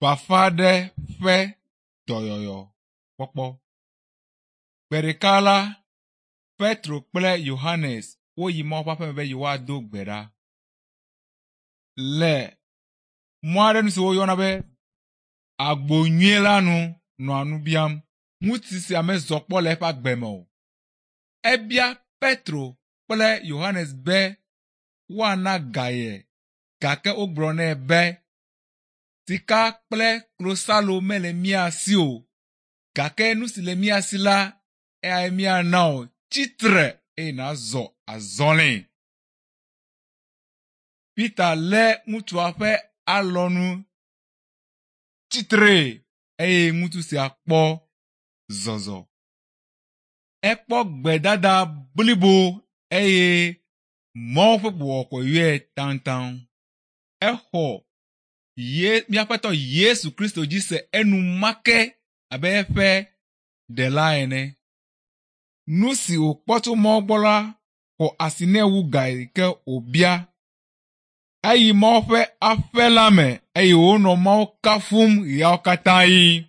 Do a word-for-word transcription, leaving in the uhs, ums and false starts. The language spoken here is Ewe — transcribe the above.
Bafa aɖe ƒe dɔyɔyɔ kpɔkpɔ. Gbe ɖeka la, Petro kple Yohanes woyi Mawu ƒe aƒeme be yewoado gbe ɖa. Le mɔ aɖe nu si woyɔna be agbo nyui la nu nɔa nu biam. Ŋutsu sia mezɔ kpɔ le eƒe agbe me o. Ebia Petro kple Yohanes be woana ga ye gake wogblɔ nɛ be sika kple klosalo mele mía si o gake nu si le mía si la eyae míana wò. Tsitre eye nàzɔ azɔli. Peter lé ŋutsua ƒe alɔnu tsitre eye ŋutsu sia kpɔ zɔzɔ. Ekpɔ gbedada blibo eye Mawu ƒe gbɔgbɔ yɔe taŋtaŋ. Exɔ ye míaƒetɔ Yesu Kristo dzi se enumake abe eƒe ɖela ene. Nu si wòkpɔ tso Mawu gbɔ la xɔ asi nɛ wu ga yi ke wòbia. Eyi Mawu ƒe aƒe la me eye wònɔ Mawu kafum ɣeawo katã ɣi.